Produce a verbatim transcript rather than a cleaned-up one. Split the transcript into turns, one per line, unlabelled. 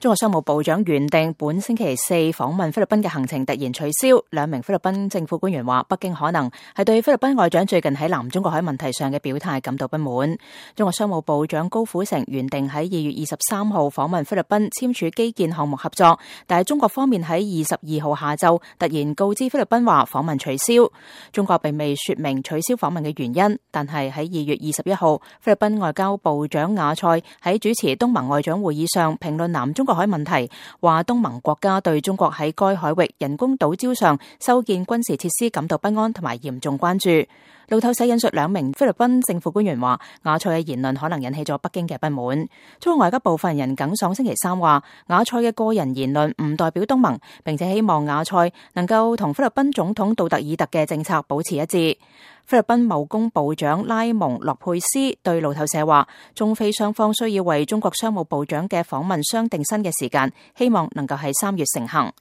中國商務部長原定本星期四訪問菲律賓嘅行程突然取消，兩名菲律賓政府官員話，北京可能係對菲律賓外長最近喺南中國海問題上嘅表態感到不滿。中國商務部長高虎城原定喺二月二十三號訪問菲律賓簽署基建項目合作，但係中國方面喺二十二號下晝突然告知菲律賓話訪問取消。中國並未說明取消訪問嘅原因，但係喺二月二十一號，菲律賓外交部長雅塞喺主持東盟外長會議上評論南中國海問題，話東盟國家對中國喺該海域人工島礁上修建軍事設施感到不安同埋嚴重關注。路透社引述兩名菲律賓政府官員話，雅塞嘅言論可能引起咗北京嘅不滿。中國外交部發言人耿爽星期三話，雅塞嘅個人言論唔代表東盟，並且希望雅塞能夠同菲律賓總統杜特爾特嘅政策保持一致。菲律賓貿工部長拉蒙洛佩斯對路透社話，中菲雙方需要為中國商務部長嘅訪問商定新嘅時間，希望能夠喺三月成行。